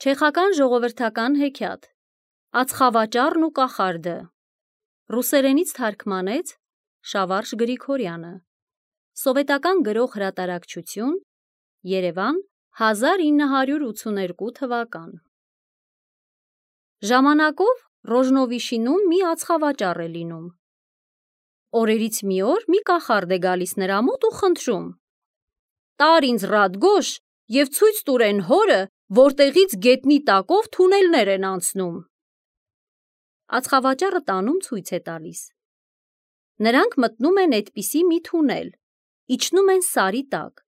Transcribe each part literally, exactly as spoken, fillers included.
Չեխական ժողովրդական հեքիաթ Ածխավաճառն ու կախարդը ռուսերենից թարգմանեց Շավարժ Գրիգորյանը Սովետական գրող հրատարակչություն Երևան հազար ինը հարյուր ութսուներկու թվական Ժամանակով Ռոժնովիշինում մի ածխավաճառ է լինում Օրերից մի օր մի կախարդ է գալիս նրա մոտ ու խնդրում Տար ինձ Ռադգոշ և ցույց տուր էն հորը, որտեղից գետնի տակով թունելներ են անցնում: Ածխավաճառը տանում ցույց է տալիս: Նրանք մտնում են այդպիսի մի թունել, իջնում են սարի տակ,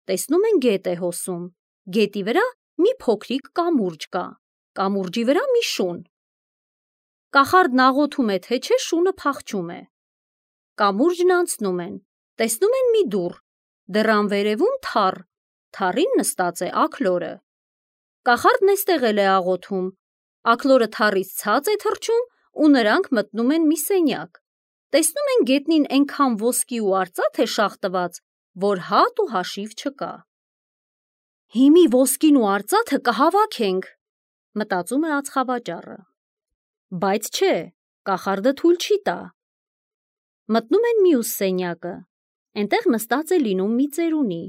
տեսնում են գետ է հոսում, գետի վրա մի փոքրիկ կամուրջ կա, կամուրջի վրա մի շուն: Կախարդն աղոթում է թե չէ շունը փախչում է: Կամուրջն անցնում են, տեսնում են մի դուռ, դռան վերևում թառ, թառին նստած է աքլորը: Կախարդն էստեղ էլ է աղոթում, աքլորը թառից ցած է թռչում ու նրանք մտնում են մի սենյակ, տեսնում են գետնին էնքան ոսկի ու արծաթ է շաղ տված, որ հատ ու հաշիվ չկա: Հիմի ոսկին ու արծաթը կհավաքենք, մտածում է ածխավաճառը: Բայց չէ, կախարդը թույլ չի տա: Մտնում են մյուս սենյակը, էնտեղ նստած է լինում մի ծերունի,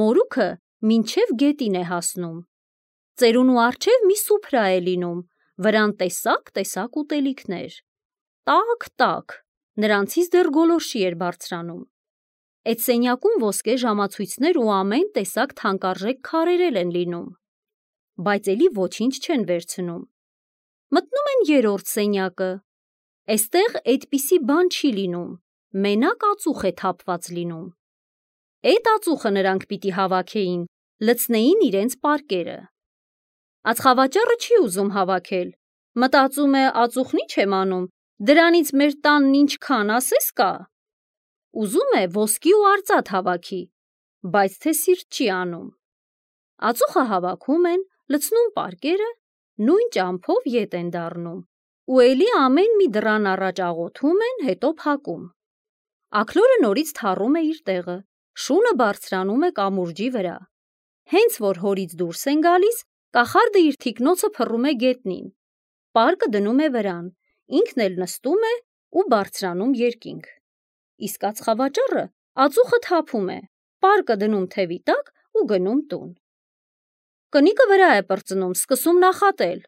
մորուքը մինչև գետին է հասնում: Ծերունու առջև մի սուփրա է լինում, վրան տեսակ-տեսակ ուտելիքներ: Տաք-տաք, նրանցից դեռ գոլորշի էր բարձրանում: Էդ սենյակում ոսկե ժամացույցներ ու ամեն տեսակ թանկարժեք քարեր էլ են լինում: Բայց էլի ոչինչ չեն վերցնում: Մտնում են երրորդ սենյակը, էստեղ էդպիսի բան չի լինում, մենակ ածուխ է թափված լինում: Էդ ածուխը նրանք պիտի հավաքեին, լցնեին իրենց պարկերը: Ածխավաճառը չի ուզում հավաքել, մտածում է ածուխն ի՞նչ եմ անում, դրանից մեր տանն ինչքան ասես կա: Ուզում է ոսկի ու արծաթ հավաքի, բայց թե սիրտ չի անում: Ածուխը հավաքում են, լցնում պարկերը, նույն ճամփով ետ են դառնում ու էլի ամեն մի դռան առաջ աղոթում են, հետո փակում: Աքլորը նորից թառում է իր տեղը, շունը բարձրանում է կամուրջի վրա: Հենց որ հորից դուրս են գալիս, կախարդը իր թիկնոցը փռում է գետնին, պարկը դնում է վրան, ինքն էլ նստում է ու բարձրանում երկինք: Իսկ ածխավաճառը ածուխը թափում է, պարկը դնում թևի տակ ու գնում տուն: Կնիկը վրա է պրծնում, սկսում նախատել: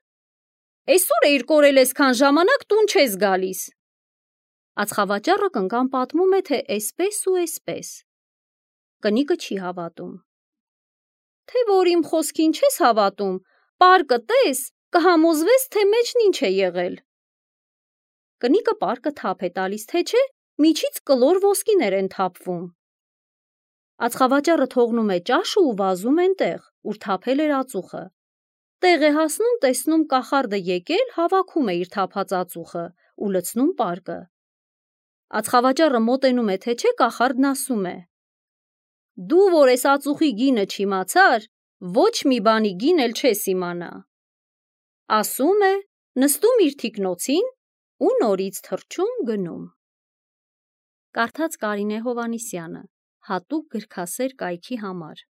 Էսօր էիր կորել էսքան ժամանակ տուն չես գալիս: Ածխավաճառը կնկան պատմում է, թե էսպես ու էսպես: Կնիկը չի հավատում: Թե որ իմ խոսքին չես հավատում, պարկը տես, կհամոզվես, թե մեջն ինչ է եղել: Կնիկը պարկը թափ է տալիս, թե չէ միջից կլոր ոսկիներ են թափվում: Ածխավաճառը թողնում է ճաշը ու վազում էնտեղ, ուր թափել էր ածուխը: Տեղ է հասնում, տեսնում կախարդը եկել, հավաքում է իր թափած ածուխը ու լցնում պարկը: Ածխավաճառը մոտենում է, թե չէ կախարդն ասում է. Դու որ էս ածուխի գինը չիմացար, ոչ մի բանի գին էլ չես իմանա: Ասում է, նստում իր թիկնոցին ու նորից թռչում գնում: Կարդաց Կարինե Հովհաննիսյանը, հատուկ գրքասեր կայքի համար